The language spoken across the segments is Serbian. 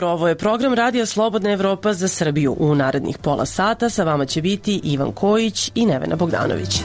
jutro, ovo je program Radija Slobodna Evropa za Srbiju. U narednih pola sata sa vama će biti Ivan Kojić i Nevena Bogdanović.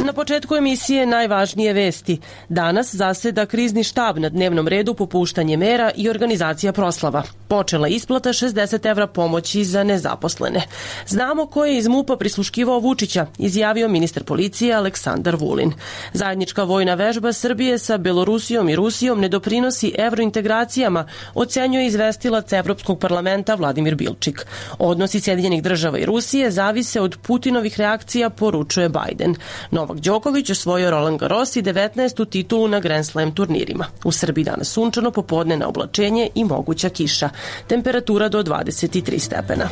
Na početku emisije najvažnije vesti. Danas zaseda krizni štab, na dnevnom redu popuštanje mera i organizacija proslava. Počela isplata 60 evra pomoći za nezaposlene. Znamo ko je iz MUP-a prisluškivao Vučića, izjavio ministar policije Aleksandar Vulin. Zajednička vojna vežba Srbije sa Belorusijom i Rusijom ne doprinosi evrointegracijama, ocenjuje izvestilac Evropskog parlamenta Vladimir Bilčik. Odnosi Sjedinjenih država i Rusije zavise od Putinovih reakcija, poručuje Biden. Novak Đoković osvojio Roland Garros i 19. titulu na Grand Slam turnirima. U Srbiji danas sunčano, popodne na oblačenje i moguća kiša. Temperatura do 23 stepena.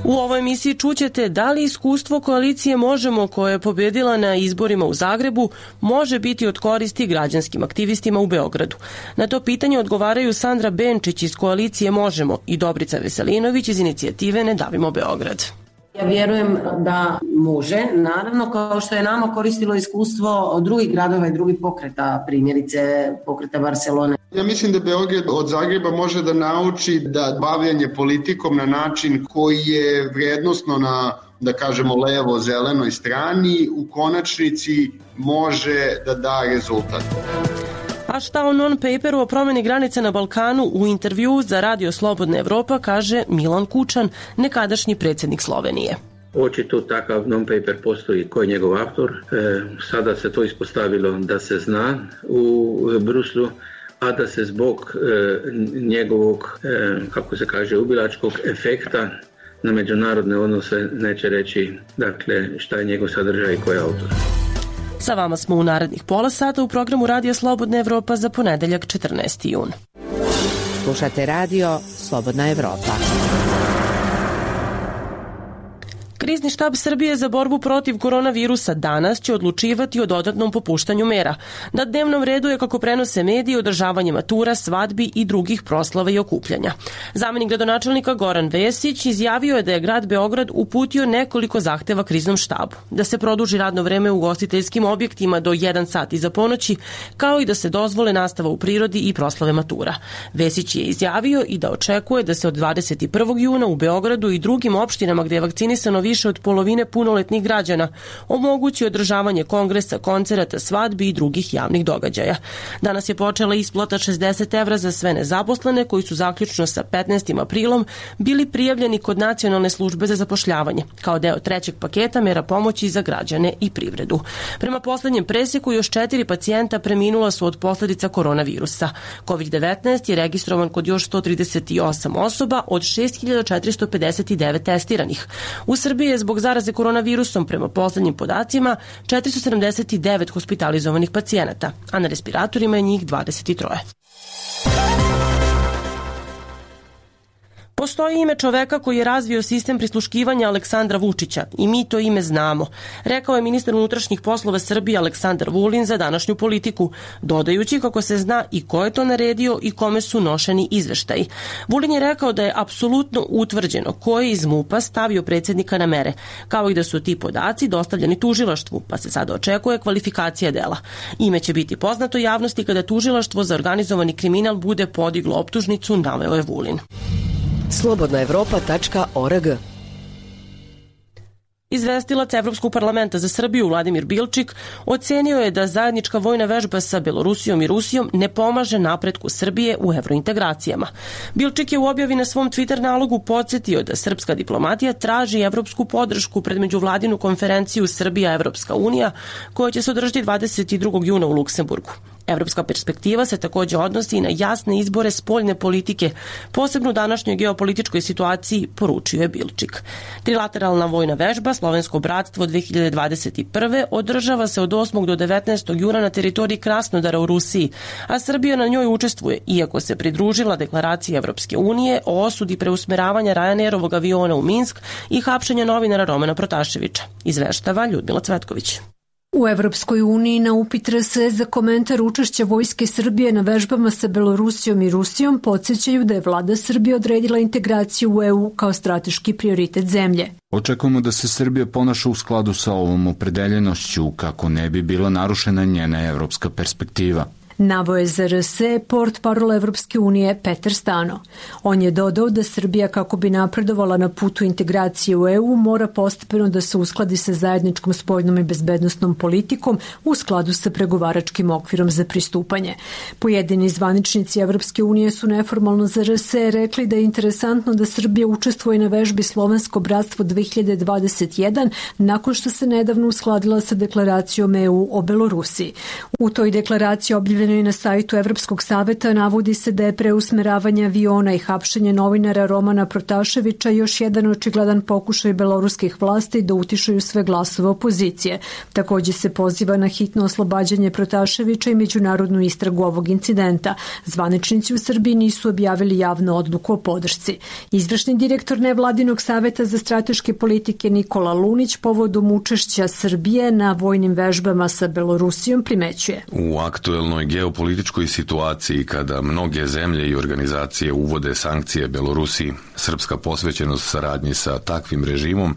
U ovoj emisiji čućete da li iskustvo koalicije Možemo, koja je pobedila na izborima u Zagrebu, može biti od koristi građanskim aktivistima u Beogradu. Na to pitanje odgovaraju Sandra Benčić iz koalicije Možemo i Dobrica Veselinović iz inicijative Ne davimo Beograd. Ja vjerujem da može, naravno, kao što je nama koristilo iskustvo od drugih gradova i drugih pokreta, primjerice pokreta Barcelone. Ja mislim da Beograd od Zagreba može da nauči da bavljanje politikom na način koji je vrijednosno na, da kažemo, levo-zelenoj strani, u konačnici može da da rezultat. A šta o non-paperu o promjeni granice na Balkanu u intervju za Radio Slobodna Evropa kaže Milan Kučan, nekadašnji predsjednik Slovenije. Očito takav non-paper postoji, ko je njegov autor. Sada se to ispostavilo da se zna u Bruslu, a da se zbog njegovog, kako se kaže, ubilačkog efekta na međunarodne odnose neće reći, dakle, šta je njegov sadržaj i ko je autor. Sa vama smo u narednih pola sata u programu Radija Slobodna Evropa za ponedeljak 14. jun. Slušate Radio Slobodna Evropa. Krizni štab Srbije za borbu protiv koronavirusa danas će odlučivati o dodatnom popuštanju mera. Na dnevnom redu je, kako prenose mediji, održavanje matura, svadbi i drugih proslava i okupljanja. Zamenik gradonačelnika Goran Vesić izjavio je da je grad Beograd uputio nekoliko zahteva kriznom štabu. Da se produži radno vreme u ugostiteljskim objektima do 1 sat iza ponoći, kao i da se dozvole nastava u prirodi i proslave matura. Vesić je izjavio i da očekuje da se od 21. juna u Beogradu i drugim opštinama gde je vakcinisano više od polovine punoletnih građana omogući održavanje kongresa, koncerata, svadbi i drugih javnih događaja. Danas je počela isplata 60 evra za sve nezaposlene koji su zaključno sa 15. aprilom bili prijavljeni kod Nacionalne službe za zapošljavanje, kao deo trećeg paketa mera pomoći za građane i privredu. Prema poslednjem preseku još 4 pacijenta preminula su od posledica koronavirusa. COVID-19 je registrovan kod još 138 osoba od 6459 testiranih. U Srbiji je zbog zaraze koronavirusom prema poslednjim podacima 479 hospitalizovanih pacijenata, a na respiratorima je njih 23. Postoji ime čoveka koji je razvio sistem prisluškivanja Aleksandra Vučića i mi to ime znamo, rekao je ministar unutrašnjih poslova Srbije Aleksandar Vulin za današnju Politiku, dodajući kako se zna i ko je to naredio i kome su nošeni izveštaji. Vulin je rekao da je apsolutno utvrđeno ko je iz MUP-a stavio predsjednika na mere, kao i da su ti podaci dostavljeni tužilaštvu, pa se sada očekuje kvalifikacija dela. Ime će biti poznato javnosti kada tužilaštvo za organizovani kriminal bude podiglo optužnicu, naveo je Vulin. slobodnaevropa.org. Izvestilac Evropskog parlamenta za Srbiju Vladimir Bilčik ocenio je da zajednička vojna vežba sa Belorusijom i Rusijom ne pomaže napretku Srbije u evrointegracijama. Bilčik je u objavi na svom Twitter nalogu podsjetio da srpska diplomatija traži evropsku podršku pred međuvladinu konferenciju Srbija-Evropska unija koja će se održati 22. juna u Luksemburgu. Evropska perspektiva se također odnosi na jasne izbore spoljne politike, posebno u današnjoj geopolitičkoj situaciji, poručio je Bilčik. Trilateralna vojna vežba Slovensko bratstvo 2021. održava se od 8. do 19. juna na teritoriji Krasnodara u Rusiji, a Srbija na njoj učestvuje, iako se pridružila deklaraciji Evropske unije o osudi preusmeravanja Ryanairovog aviona u Minsk i hapšenja novinara Romana Protaševića, izveštava Ljudmila Cvetković. U Evropskoj uniji na upit RSE za komentar učešća Vojske Srbije na vežbama sa Belorusijom i Rusijom podsjećaju da je vlada Srbije odredila integraciju u EU kao strateški prioritet zemlje. Očekujemo da se Srbija ponaša u skladu sa ovom opredeljenošću kako ne bi bila narušena njena evropska perspektiva. Naveo je za RSE portparol Evropske unije Petar Stano. On je dodao da Srbija, kako bi napredovala na putu integracije u EU, mora postepeno da se uskladi sa zajedničkom spoljnom i bezbednosnom politikom u skladu sa pregovaračkim okvirom za pristupanje. Pojedini zvaničnici Evropske unije su neformalno za RSE rekli da je interesantno da Srbija učestvuje na vežbi Slovensko bratstvo 2021 nakon što se nedavno uskladila sa deklaracijom EU o Belorusiji. U toj deklaraciji objavljeno i na sajtu Evropskog saveta navodi se da je preusmeravanje aviona i hapšenje novinara Romana Protaševića još jedan očigledan pokušaj beloruskih vlasti da utišaju sve glasove opozicije. Takođe se poziva na hitno oslobađanje Protaševića i međunarodnu istragu ovog incidenta. Zvaničnici u Srbiji nisu objavili javnu odluku o podršci. Izvršni direktor nevladinog saveta za strateške politike Nikola Lunić povodom učešća Srbije na vojnim vežbama sa Belorusijom primećuje. U aktuelnoj geopolitičkoj situaciji kada mnoge zemlje i organizacije uvode sankcije Belorusiji, srpska posvećenost saradnji sa takvim režimom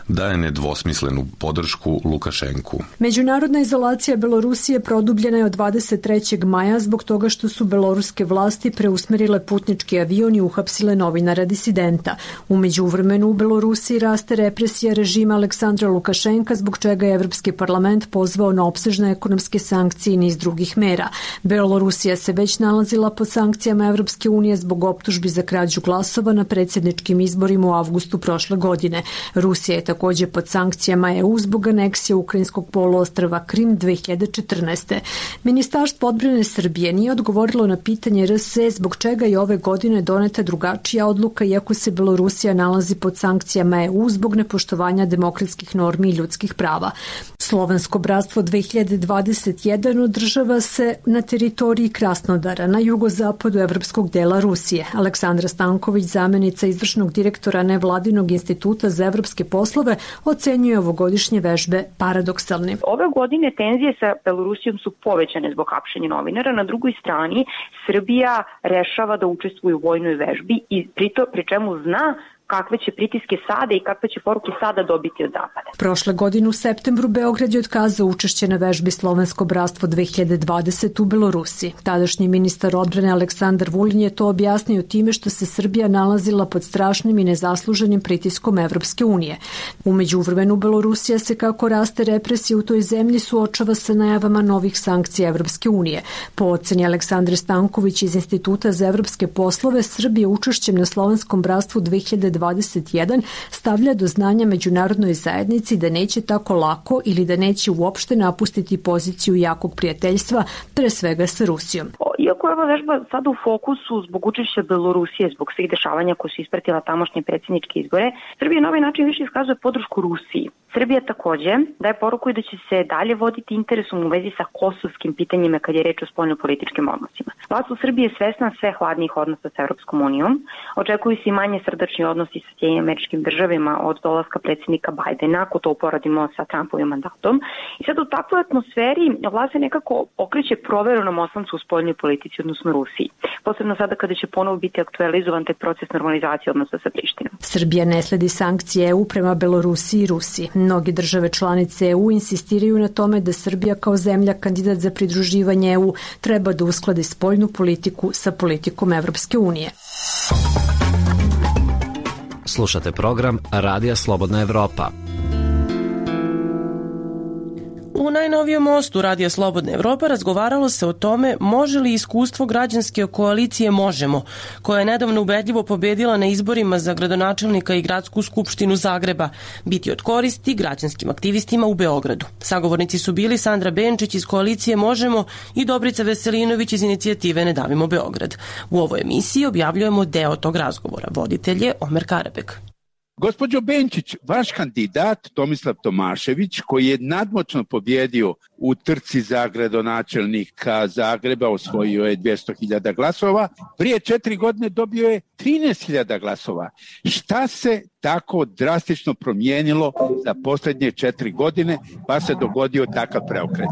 daje nedvosmislenu podršku Lukašenku. Međunarodna izolacija Belorusije produbljena je od 23. maja zbog toga što su beloruske vlasti preusmerile putnički avion i uhapsile novinara disidenta. U međuvremenu u Belorusiji raste represija režima Aleksandra Lukašenka, zbog čega je Evropski parlament pozvao na opsežne ekonomske sankcije i niz drugih mera. Belorusija se već nalazila pod sankcijama Evropske unije zbog optužbi za krađu glasova na predsjedničkim izborima u avgustu prošle godine. Rusija je takođe pod sankcijama EU zbog aneksije ukrajinskog poluostrva Krim 2014. Ministarstvo odbrane Srbije nije odgovorilo na pitanje RSE zbog čega je ove godine doneta drugačija odluka iako se Belorusija nalazi pod sankcijama EU zbog nepoštovanja demokratskih normi i ljudskih prava. Slovensko bratstvo 2021 održava se na teritoriji Krasnodara, na jugozapadu evropskog dela Rusije. Aleksandra Stanković, zamenica izvršnog direktora Nevladinog instituta za evropske poslove, ocenjuje ovogodišnje vežbe paradoksalnim. Ove godine tenzije sa Belorusijom su povećane zbog hapšenja novinara. Na drugoj strani Srbija rešava da učestvuje u vojnoj vežbi i pri čemu zna kakve će pritiske sada i kakve će poruke sada dobiti od Zapada. Prošle godine u septembru Beograd je otkazao učešće na vežbi Slovensko bratstvo 2020 u Belorusiji. Tadašnji ministar odbrane Aleksandar Vulin je to objasnio time što se Srbija nalazila pod strašnim i nezasluženim pritiskom Evropske unije. U međuvremenu Belorusija se, kako raste represija u toj zemlji, suočava sa najavama novih sankcija Evropske unije. Po oceni Aleksandre Stanković iz Instituta za evropske poslove, Srbija učešćem na Slovenskom bratstvu 2021 stavlja do znanja međunarodnoj zajednici da neće tako lako ili da neće uopšte napustiti poziciju jakog prijateljstva, pre svega sa Rusijom. Iako je ova vežba sada u fokusu zbog učešća Belorusije, zbog svih dešavanja koje su ispratila tamošnje predsjedničke izbore, Srbija na ovaj način više iskazuje podršku Rusiji. Srbija takođe daje poruku i da će se dalje voditi interesom u vezi sa kosovskim pitanjima kad je reč o spoljnopolitičkim odnosima. Vlast u Srbiji je svesna sve hladnijih odnosa sa Evropskom unijom. Očekuju se i manje srdačni odnosi sa Sjedinjenim Američkim Državama od dolaska predsjednika Bajdena, ako to uporadimo sa Trumpovim mandatom. I sad u takvoj atmosferi vlast se nekako okreće proverenom oslancu u spoljnoj politici, odnosno Rusiji. Posebno sada kada će ponovo biti aktualizovan taj proces normalizacije odnosa sa Prištinom. Srbija ne sledi sankcije EU prema Belorusiji i Rusiji. Mnogi države članice EU insistiraju na tome da Srbija kao zemlja kandidat za pridruživanje EU treba da uskladi spoljnu politiku sa politikom Evropske unije. Slušate program Radija Slobodna Evropa. U najnovijem mostu Radija Slobodna Evropa razgovaralo se o tome može li iskustvo građanske koalicije Možemo, koja je nedavno ubedljivo pobedila na izborima za gradonačelnika i gradsku skupštinu Zagreba, biti od koristi građanskim aktivistima u Beogradu. Sagovornici su bili Sandra Benčić iz koalicije Možemo i Dobrica Veselinović iz inicijative Ne davimo Beograd. U ovoj emisiji objavljujemo deo tog razgovora. Voditelj je Omer Karabek. Gospođo Benčić, vaš kandidat Tomislav Tomašević, koji je nadmoćno pobjedio u trci za gradonačelnika Zagreba, osvojio je 200.000 glasova, prije 4 godine dobio je 13.000 glasova. Šta se tako drastično promijenilo za posljednje 4 godine, pa se dogodio takav preokret?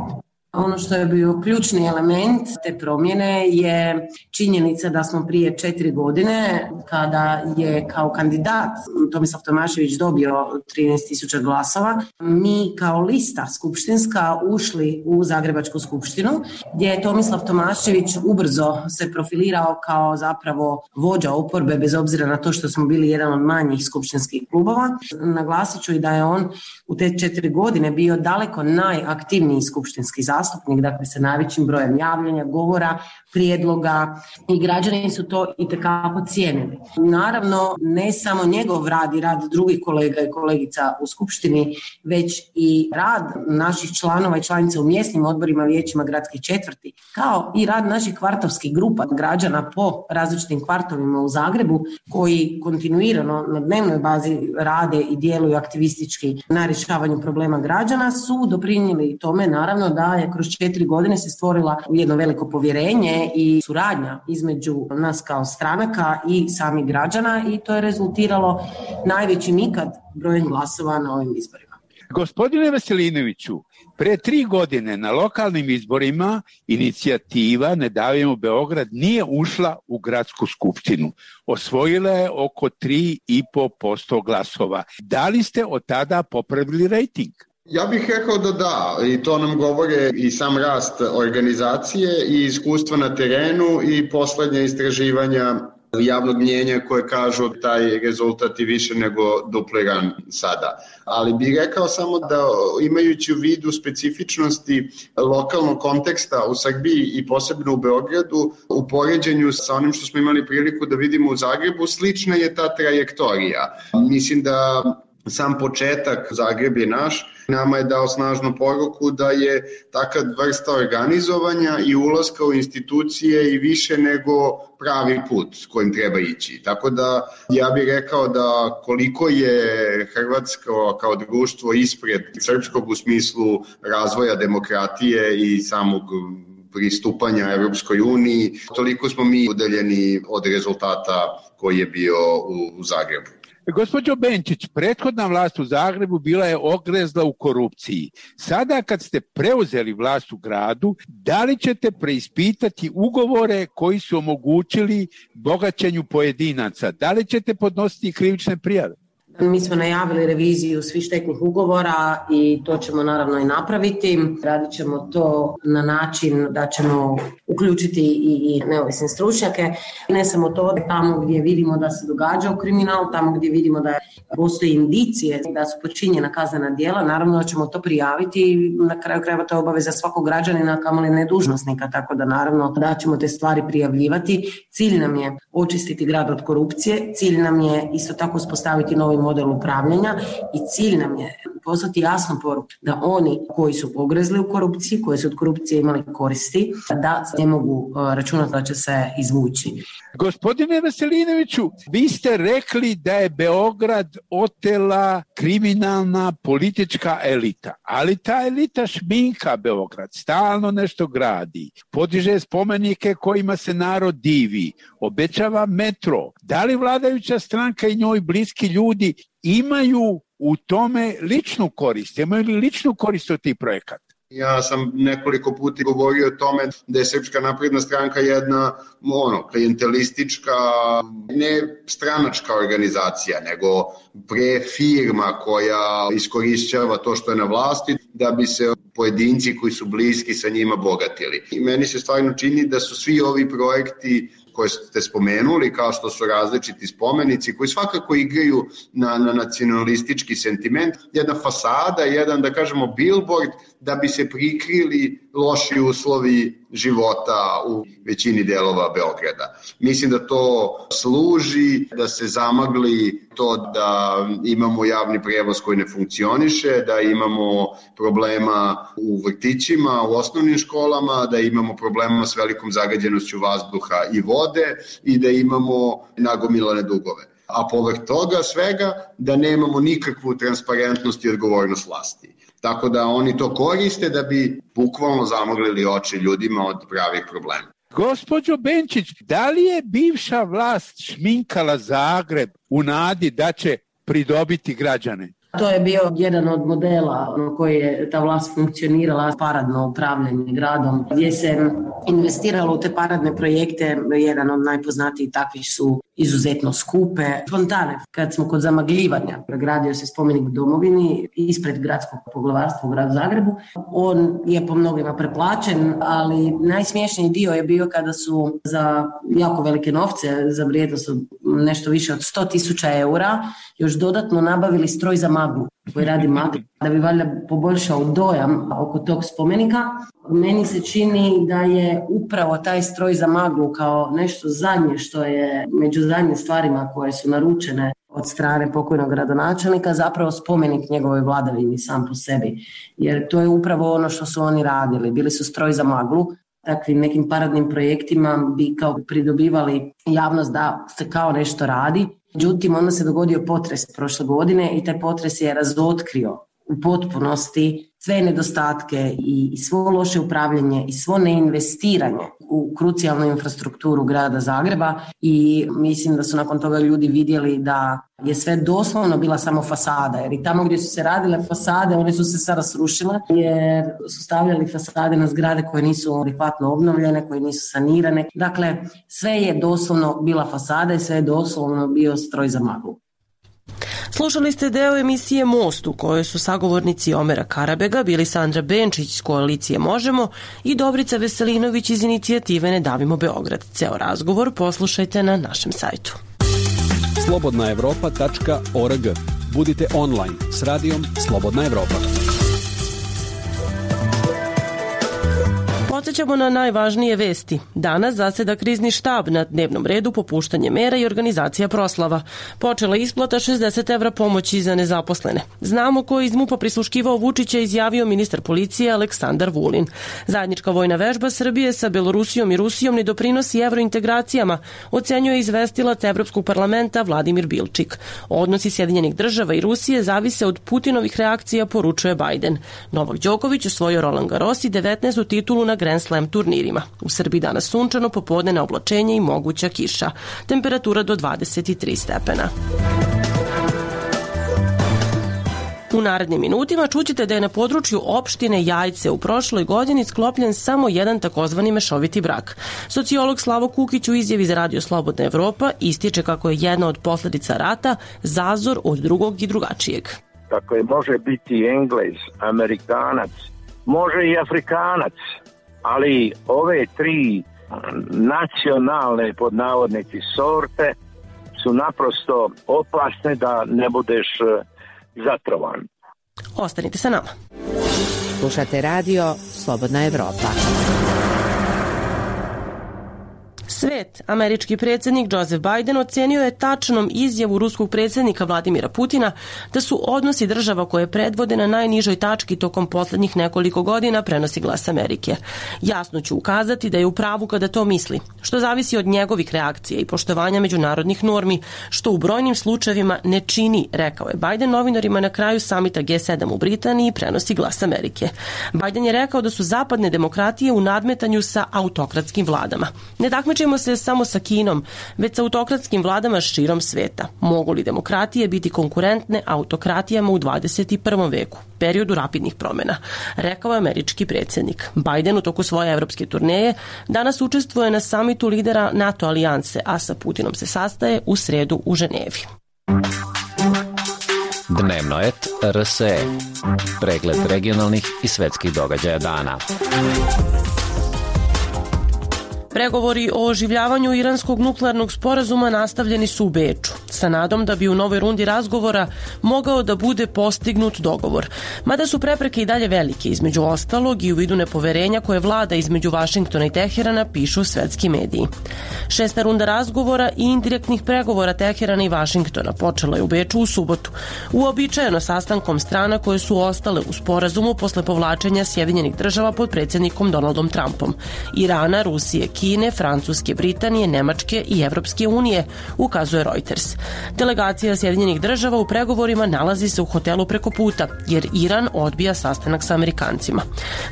Ono što je bio ključni element te promjene je činjenica da smo prije 4 godine, kada je kao kandidat Tomislav Tomašević dobio 13.000 glasova, mi kao lista skupštinska ušli u Zagrebačku skupštinu, gdje je Tomislav Tomašević ubrzo se profilirao kao zapravo vođa oporbe, bez obzira na to što smo bili jedan od manjih skupštinskih klubova. Naglasit ću i da je on u te 4 godine bio daleko najaktivniji skupštinski zastupnik, dakle sa najvećim brojem javljanja, govora, prijedloga, i građani su to itekako cijenili. Naravno, ne samo njegov rad i rad drugih kolega i kolegica u skupštini, već i rad naših članova i članica u mjesnim odborima, vijećima gradskih četvrti, kao i rad naših kvartovskih grupa građana po različitim kvartovima u Zagrebu, koji kontinuirano na dnevnoj bazi rade i djeluju aktivistički na rješavanju problema građana, su doprinijeli tome, naravno, da je kroz 4 godine se stvorila jedno veliko povjerenje i suradnja između nas kao stranaka i samih građana, i to je rezultiralo najvećim ikad brojem glasova na ovim izborima. Gospodine Veselinoviću, pre 3 godine na lokalnim izborima inicijativa Ne davimo Beograd nije ušla u gradsku skupštinu. Osvojila je oko 3,5% glasova. Da li ste od tada popravili rejting? Ja bih rekao da, i to nam govore i sam rast organizacije i iskustva na terenu i poslednja istraživanja javnog mnjenja koje kažu taj rezultat je više nego dupliran sada. Ali bih rekao samo da, imajući u vidu specifičnosti lokalnog konteksta u Srbiji i posebno u Beogradu, u poređenju sa onim što smo imali priliku da vidimo u Zagrebu, slična je ta trajektorija. Mislim da sam početak Zagreb je naš, nama je dao snažnu poruku da je taka vrsta organizovanja i ulaska u institucije i više nego pravi put s kojim treba ići. Tako da ja bih rekao da koliko je Hrvatsko kao društvo ispred srpskog u smislu razvoja demokratije i samog pristupanja Evropskoj uniji, toliko smo mi udaljeni od rezultata koji je bio u Zagrebu. Gospođo Benčić, prethodna vlast u Zagrebu bila je ogrezla u korupciji. Sada kad ste preuzeli vlast u gradu, da li ćete preispitati ugovore koji su omogućili bogaćenju pojedinaca? Da li ćete podnositi krivične prijave? Mi smo najavili reviziju svih štetnih ugovora i to ćemo naravno i napraviti. Radit ćemo to na način da ćemo uključiti i neovisne stručnjake. Ne samo to, tamo gdje vidimo da se događa kriminal, tamo gdje vidimo da postoji indicije da su počinjena kaznena djela, naravno da ćemo to prijaviti i na kraju krajeva to je obaveza svakog građanina, kamoli ne dužnosnika, tako da naravno da ćemo te stvari prijavljivati. Cilj nam je očistiti grad od korupcije, cilj nam je isto tako uspostaviti novi model upravljanja i cilj nam je poslati jasnu poruku da oni koji su pogrezli u korupciji, koji su od korupcije imali koristi, da ne mogu računati da će se izvući. Gospodine Veselinoviću, vi ste rekli da je Beograd otela kriminalna politička elita, ali ta elita šminka Beograd, stalno nešto gradi, podiže spomenike kojima se narod divi, obećava metro. Da li vladajuća stranka i njoj bliski ljudi imaju u tome ličnu korist? Imaju li ličnu korist od tih projekata? Ja sam nekoliko puta govorio o tome da je Srpska napredna stranka jedna klijentelistička, ne stranačka organizacija, nego pre firma koja iskorišćava to što je na vlasti da bi se pojedinci koji su bliski sa njima bogatili. I meni se stvarno čini da su svi ovi projekti koje ste spomenuli, kao što su različiti spomenici, koji svakako igraju na nacionalistički sentiment, jedna fasada, jedan, da kažemo, billboard, da bi se prikrili loši uslovi života u većini delova Beograda. Mislim da to služi, da se zamagli to da imamo javni prevoz koji ne funkcioniše, da imamo problema u vrtićima, u osnovnim školama, da imamo problema s velikom zagađenošću vazduha i vode i da imamo nagomilane dugove. a povrh toga svega da nemamo nikakvu transparentnost i odgovornost vlasti. Tako da oni to koriste da bi bukvalno zamoglili oči ljudima od pravih problema. Gospođo Benčić, da li je bivša vlast šminkala Zagreb u nadi da će pridobiti građane? To je bio jedan od modela na koji je ta vlast funkcionirala, paradno upravljanje gradom, gdje se investiralo u te paradne projekte. Jedan od najpoznatijih takvih su izuzetno skupe fontane. Kad smo kod zamagljivanja, gradio se spomenik Domovini ispred gradskog poglavarstva u gradu Zagrebu. On je po mnogima preplaćen, ali najsmiješniji dio je bio kada su za jako velike novce, za vrijednost od nešto više od 100.000 eura, još dodatno nabavili stroj za maglu koji radi maglu, da bi valjda poboljšao dojam oko tog spomenika. Meni se čini da je upravo taj stroj za maglu kao nešto zadnje što je među zadnjim stvarima koje su naručene od strane pokojnog gradonačelnika zapravo spomenik njegovoj vladavini sam po sebi. Jer to je upravo ono što su oni radili. Bili su stroj za maglu. Takvim nekim paradnim projektima bi kao pridobivali javnost da se kao nešto radi. Međutim, onda se dogodio potres prošle godine i taj potres je razotkrio u potpunosti sve nedostatke i svo loše upravljanje i svo neinvestiranje u krucijalnu infrastrukturu grada Zagreba i mislim da su nakon toga ljudi vidjeli da je sve doslovno bila samo fasada, jer i tamo gdje su se radile fasade, one su se sada srušile jer su stavljali fasade na zgrade koje nisu adekvatno obnovljene, koje nisu sanirane. Dakle, sve je doslovno bila fasada i sve je doslovno bio stroj za maglu. Slušali ste deo emisije Most u kojoj su sagovornici Omera Karabega bili Sandra Benčić iz koalicije Možemo i Dobrica Veselinović iz inicijative Ne davimo Beograd. Ceo razgovor poslušajte na našem sajtu. slobodnaevropa.org. Budite online s radijom Slobodna Evropa. Podsećamo na najvažnije vesti. Danas zaseda krizni štab, na dnevnom redu popuštanje mera i organizacija proslava. Počela isplata 60 evra pomoći za nezaposlene. Znamo ko je iz MUP-a prisluškivao Vučića, izjavio ministar policije Aleksandar Vulin. Zajednička vojna vežba Srbije sa Belorusijom i Rusijom ne doprinosi evrointegracijama, ocenjuje izvestilac Evropskog parlamenta Vladimir Bilčik. Odnosi Sjedinjenih država i Rusije zavise od Putinovih reakcija, poručuje Bajden. Novak Đoković osvojio Roland Garros i 19. titulu na Grand Slam turnirima. U Srbiji danas sunčano, popodne na oblačenje i moguća kiša. Temperatura do 23 stepena. U narednim minutima čućete da je na području opštine Jajce u prošloj godini sklopljen samo jedan takozvani mešoviti brak. Sociolog Slavo Kukić u izjavi za Radio Slobodna Evropa ističe kako je jedna od posledica rata zazor od drugog i drugačijeg. Tako je, može biti Englez, Amerikanac, može i Afrikanac, ali ove tri nacionalne pod navodnici sorte su naprosto opasne da ne budeš zatrovan. Ostanite sa nama. Slušate radio Slobodna Evropa. Svet, američki predsjednik Joseph Biden ocenio je tačnom izjavu ruskog predsjednika Vladimira Putina da su odnosi država koje predvode na najnižoj tački tokom poslednjih nekoliko godina, prenosi Glas Amerike. Jasno ću ukazati da je u pravu kada to misli, što zavisi od njegovih reakcija i poštovanja međunarodnih normi, što u brojnim slučajevima ne čini, rekao je Biden novinarima na kraju samita G7 u Britaniji, prenosi Glas Amerike. Biden je rekao da su zapadne demokratije u nadmetanju sa autokratskim vladama. Ne takmičimo se samo sa Kinom, već sa autokratskim vladama širom sveta. Mogu li demokratije biti konkurentne autokratijama u 21. veku, periodu rapidnih promjena, rekao je američki predsjednik. Biden u toku svoje evropske turneje danas učestvuje na samitu lidera NATO alijanse, a sa Putinom se sastaje u sredu u Ženevi. Dnevnoet RSE. Pregled regionalnih i svetskih događaja dana. Pregovori o oživljavanju iranskog nuklearnog sporazuma nastavljeni su u Beču, sa nadom da bi u novoj rundi razgovora mogao da bude postignut dogovor. Mada su prepreke i dalje velike, između ostalog i u vidu nepoverenja koje vlada između Vašingtona i Teherana, pišu svetski mediji. 6. runda razgovora i indirektnih pregovora Teherana i Vašingtona počela je u Beču u subotu, uobičajeno sastankom strana koje su ostale u sporazumu posle povlačenja Sjedinjenih država pod predsjednikom Donaldom Trumpom, Irana, Rusije, Kine, Francuske, Britanije, Nemačke i Evropske unije, ukazuje Reuters. Delegacija Sjedinjenih država u pregovorima nalazi se u hotelu preko puta, jer Iran odbija sastanak sa Amerikancima.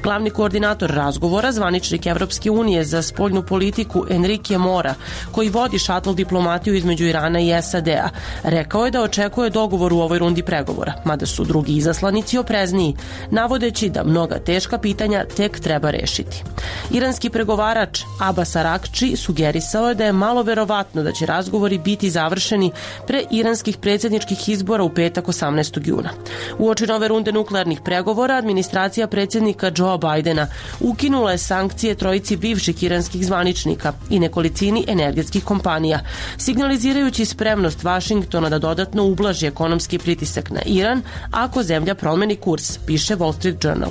Glavni koordinator razgovora, zvaničnik Evropske unije za spoljnu politiku Enrique Mora, koji vodi šatl diplomatiju između Irana i SAD-a, rekao je da očekuje dogovor u ovoj rundi pregovora, mada su drugi izaslanici oprezniji, navodeći da mnoga teška pitanja tek treba rešiti. Iranski pregovarač Abbas Arakči sugerisao je da je malo verovatno da će razgovori biti završeni pre iranskih predsjedničkih izbora u petak 18. juna. Uoči nove runde nuklearnih pregovora, administracija predsjednika Joe Bidena ukinula je sankcije trojici bivših iranskih zvaničnika i nekolicini energetskih kompanija, signalizirajući spremnost Vašingtona da dodatno ublaži ekonomski pritisak na Iran ako zemlja promeni kurs, piše Wall Street Journal.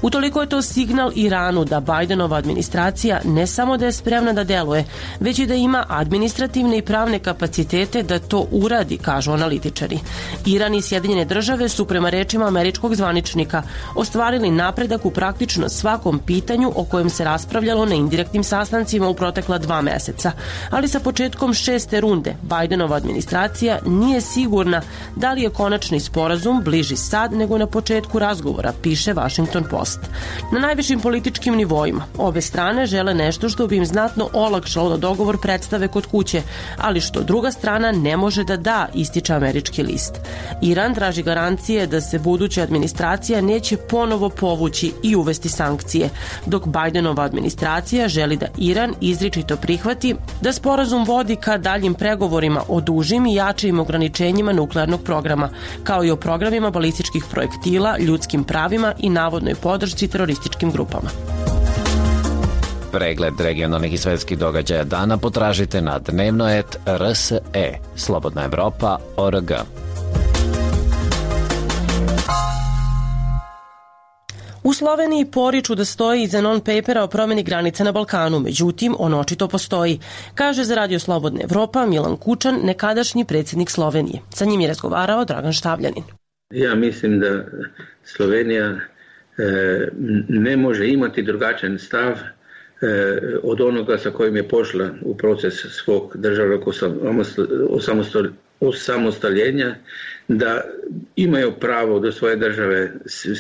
Utoliko je to signal Iranu da Bidenova administracija ne samo da je spremna da deluje, već i da ima administrativne i pravne kapacitete da to uradi, kažu analitičari. Iran i Sjedinjene države su prema rečima američkog zvaničnika ostvarili napredak u praktično svakom pitanju o kojem se raspravljalo na indirektnim sastancima u protekla 2 meseca, ali sa početkom 6. runde Bidenova administracija nije sigurna da li je konačni sporazum bliži sad nego na početku razgovora, piše Washington Post. Na najvišim političkim nivoima obe strane žele nešto što bi im znatno olakšalo da dogovor predstave kod kuće, ali što druga strana ne može da, ističe američki list. Iran traži garancije da se buduća administracija neće ponovo povući i uvesti sankcije, dok Bidenova administracija želi da Iran izričito prihvati da sporazum vodi ka daljim pregovorima o dužim i jačim ograničenjima nuklearnog programa, kao i o programima balističkih projektila, ljudskim pravima i navodnoj podršci terorističkim grupama. Pregled regionalnih i svetskih događaja dana potražite na dnevno.rs.e, Slobodna Evropa.org. U Sloveniji poriču da stoji iza non-papera o promeni granica na Balkanu, međutim, on očito postoji, kaže za Radio Slobodna Evropa Milan Kučan, nekadašnji predsjednik Slovenije. Sa njim je razgovarao Dragan Štavljanin. Ja mislim da Slovenija ne može imati drugačan stav od onoga sa kojim je pošla u proces svog državnog osamostaljenja, da imaju pravo do svoje države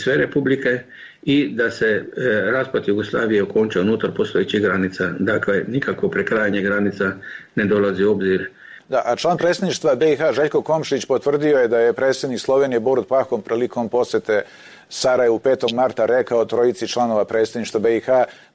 sve republike i da se raspad Jugoslavije okonča unutar postojećih granica. Dakle, nikako prekrajanje granica ne dolazi u obzir. Da, a član predsjedništva BiH Željko Komšić potvrdio je da je predsjednik Slovenije Borut Pahom prilikom posete Sarajevu 5. marta rekao trojici članova predsjedništva BiH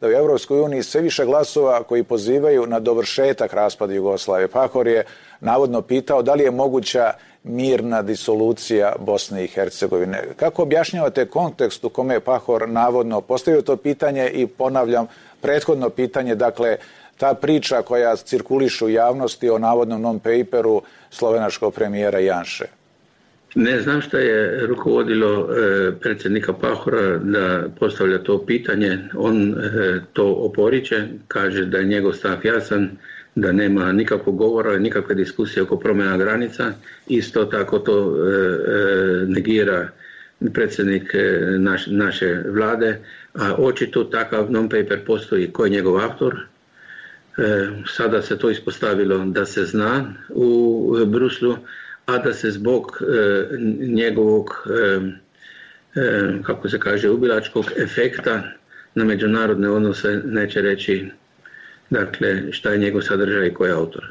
da u Europskoj uniji sve više glasova koji pozivaju na dovršetak raspada Jugoslavije. Pahor je navodno pitao da li je moguća mirna disolucija Bosne i Hercegovine. Kako objašnjavate kontekst u kome je Pahor navodno postavio to pitanje i ponavljam prethodno pitanje, dakle ta priča koja cirkuliše u javnosti o navodnom non-paperu slovenačkog premijera Janše? Ne znam šta je rukovodilo predsjednika Pahora da postavlja to pitanje. On to oporiče, kaže da je njegov stav jasan, da nema nikakvog govora, nikakve diskusije oko promjena granica. Isto tako to negira predsjednik naše vlade, a očito takav non-paper postoji. Ko je njegov autor? Sada se to ispostavilo da se zna u Bruslu, a da se zbog njegovog, kako se kaže, ubilačkog efekta na međunarodne odnose neće reći, dakle, šta je njegov sadržaj i ko je autor.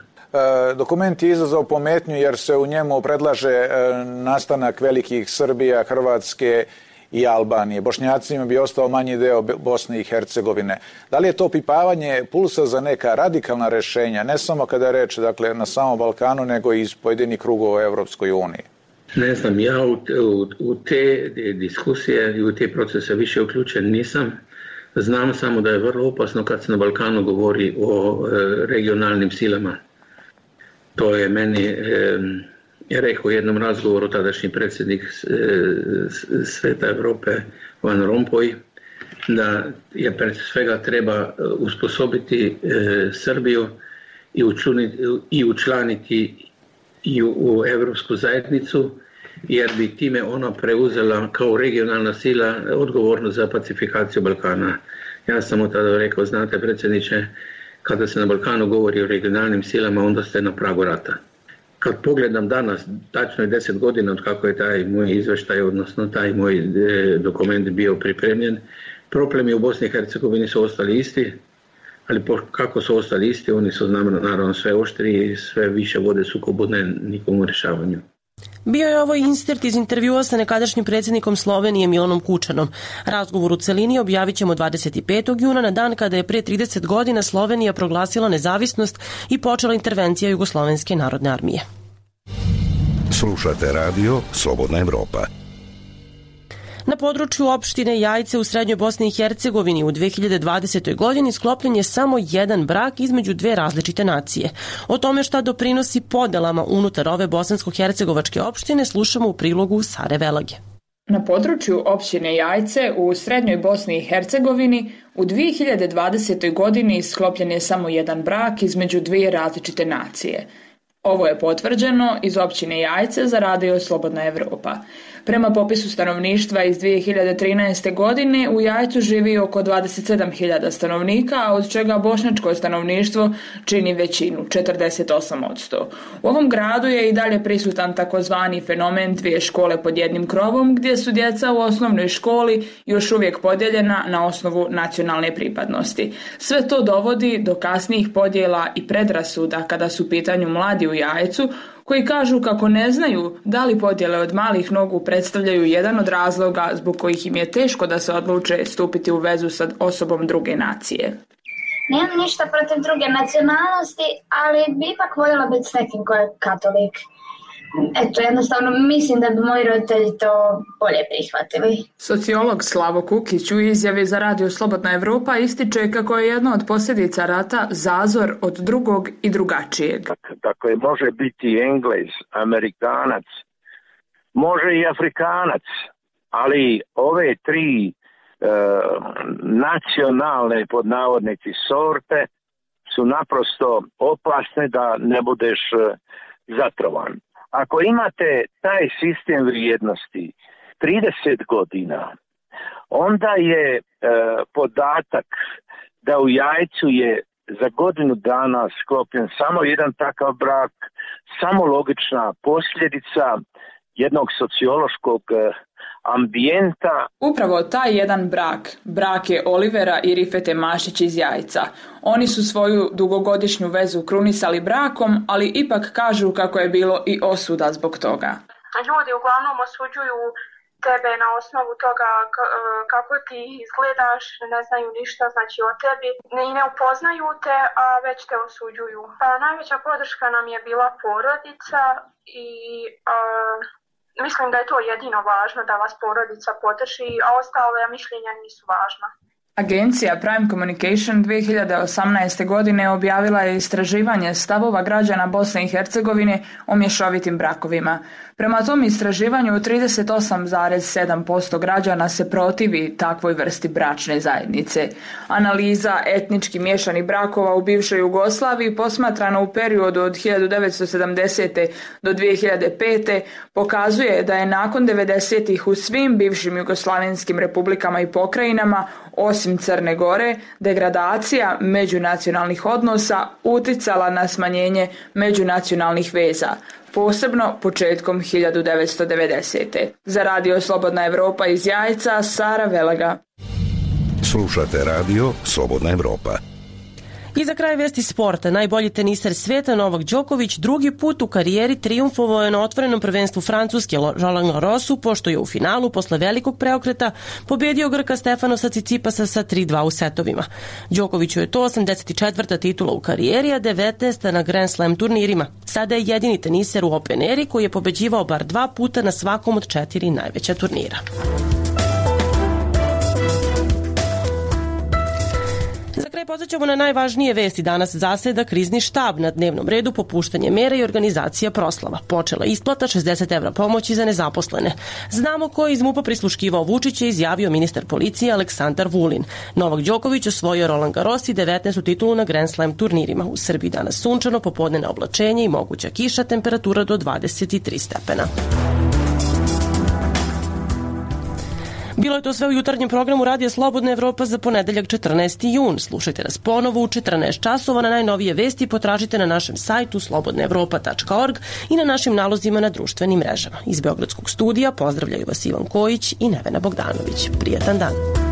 Dokument je izazvao pometnju jer se u njemu predlaže nastanak velikih Srbija, Hrvatske i Albanije. Bošnjacima bi ostao manji deo Bosne i Hercegovine. Da li je to opipavanje pulsa za neka radikalna rešenja, ne samo kada je reč, dakle, na samom Balkanu, nego i iz pojedinih krugova u Evropskoj uniji? Ne znam, ja u te diskusije i u te procese više uključen nisam. Znam samo da je vrlo opasno kad se na Balkanu govori o regionalnim silama. To je meni rekao u jednom razgovoru tadašnji predsjednik Sveta Evrope Van Rompuy, da je pred svega treba usposobiti Srbiju i učlaniti i u Evropsku zajednicu, jer bi time ona preuzela kao regionalna sila odgovornost za pacifikaciju Balkana. Ja sam mu tada rekao, znate predsjedniče, kada se na Balkanu govori o regionalnim silama, onda ste na pragu rata. Kad pogledam danas, tačno je 10 godina od kako je taj moj izveštaj, odnosno taj moj dokument bio pripremljen, problemi u Bosni i Hercegovini su ostali isti, ali kako su ostali isti, oni su naravno sve oštriji i sve više vode sukobudne nikom u rješavanju. Bio je ovo insert iz intervjua sa nekadašnjim predsjednikom Slovenije Milanom Kučanom. Razgovor u celini objavit ćemo 25. juna na dan kada je pre 30 godina Slovenija proglasila nezavisnost i počela intervencija Jugoslovenske narodne armije. Slušate radio Slobodna Evropa. Na području opštine Jajce u srednjoj Bosni i Hercegovini u 2020. godini sklopljen je samo jedan brak između dve različite nacije. O tome šta doprinosi podelama unutar ove bosansko-hercegovačke opštine slušamo u prilogu Sare Velage. Na području opštine Jajce u srednjoj Bosni i Hercegovini u 2020. godini sklopljen je samo jedan brak između dvije različite nacije. Ovo je potvrđeno iz općine Jajce za radio Slobodna Evropa. Prema popisu stanovništva iz 2013. godine u Jajcu živi oko 27.000 stanovnika, a od čega bošnjačko stanovništvo čini većinu, 48%. U ovom gradu je i dalje prisutan takozvani fenomen dvije škole pod jednim krovom, gdje su djeca u osnovnoj školi još uvijek podijeljena na osnovu nacionalne pripadnosti. Sve to dovodi do kasnijih podjela i predrasuda kada su u pitanju mladi u Jajcu, koji kažu kako ne znaju da li podjele od malih nogu predstavljaju jedan od razloga zbog kojih im je teško da se odluče stupiti u vezu sa osobom druge nacije. Nemam ništa protiv druge nacionalnosti, ali bi ipak voljela biti s nekim ko je katolik. Eto, jednostavno mislim da bi moji roditelji to bolje prihvatili. Sociolog Slavo Kukić u izjavi za radio Slobodna Evropa ističe kako je jedna od posljedica rata zazor od drugog i drugačijeg. Dakle, može biti Englez, Amerikanac, može i Afrikanac, ali ove tri nacionalne pod navodnici sorte su naprosto opasne da ne budeš zatrovan. Ako imate taj sistem vrijednosti 30 godina, onda je podatak da u Jajcu je za godinu dana sklopljen samo jedan takav brak, samo logična posljedica jednog sociološkog ambijenta. Upravo taj jedan brak je Olivera i Rifete Mašić iz Jajca. Oni su svoju dugogodišnju vezu krunisali brakom, ali ipak kažu kako je bilo i osuda zbog toga. Ljudi uglavnom osuđuju tebe na osnovu toga kako ti izgledaš, ne znaju ništa znači o tebi i ne upoznaju te, a već te osuđuju. Pa najveća podrška nam je bila porodica i mislim da je to jedino važno, da vas porodica podrži, a ostale mišljenja nisu važna. Agencija Prime Communication 2018. godine objavila je istraživanje stavova građana Bosne i Hercegovine o mješovitim brakovima. Prema tom istraživanju 38,7% građana se protivi takvoj vrsti bračne zajednice. Analiza etnički miješanih brakova u bivšoj Jugoslaviji posmatrana u periodu od 1970. do 2005. pokazuje da je nakon 90-ih u svim bivšim jugoslavenskim republikama i pokrajinama, osim Crne Gore, degradacija međunacionalnih odnosa uticala na smanjenje međunacionalnih veza, posebno početkom 1990. Za radio Slobodna Evropa iz Jajca, Sara Velaga. Slušate radio Slobodna Evropa. I za kraj vesti sporta, najbolji teniser sveta Novak Đoković drugi put u karijeri trijumfovao je na otvorenom prvenstvu Francuske Roland Garrosu, pošto je u finalu posle velikog preokreta pobedio Grka Stefanosa Cicipasa sa 3-2 u setovima. Đokoviću je to 84. titula u karijeri, a 19. na Grand Slam turnirima. Sada je jedini teniser u Open Eri koji je pobeđivao bar 2 puta na svakom od 4 najveća turnira. Za kraj podsjećamo na najvažnije vesti. Danas zaseda krizni štab, na dnevnom redu popuštanje mera i organizacija proslava. Počela isplata 60 evra pomoći za nezaposlene. Znamo ko je iz MUP-a prisluškivao Vučića, izjavio ministar policije Aleksandar Vulin. Novak Đoković osvojio Roland Garros i 19. titulu na Grand Slam turnirima. U Srbiji danas sunčano, popodne oblačenje i moguća kiša, temperatura do 23 stepena. Bilo je to sve u jutarnjem programu Radija Slobodna Evropa za ponedeljak 14. jun. Slušajte nas ponovo u 14 časova. Na najnovije vesti potražite na našem sajtu slobodnaevropa.org i na našim nalozima na društvenim mrežama. Iz Beogradskog studija pozdravljaju vas Ivan Kojić i Nevena Bogdanović. Prijatan dan.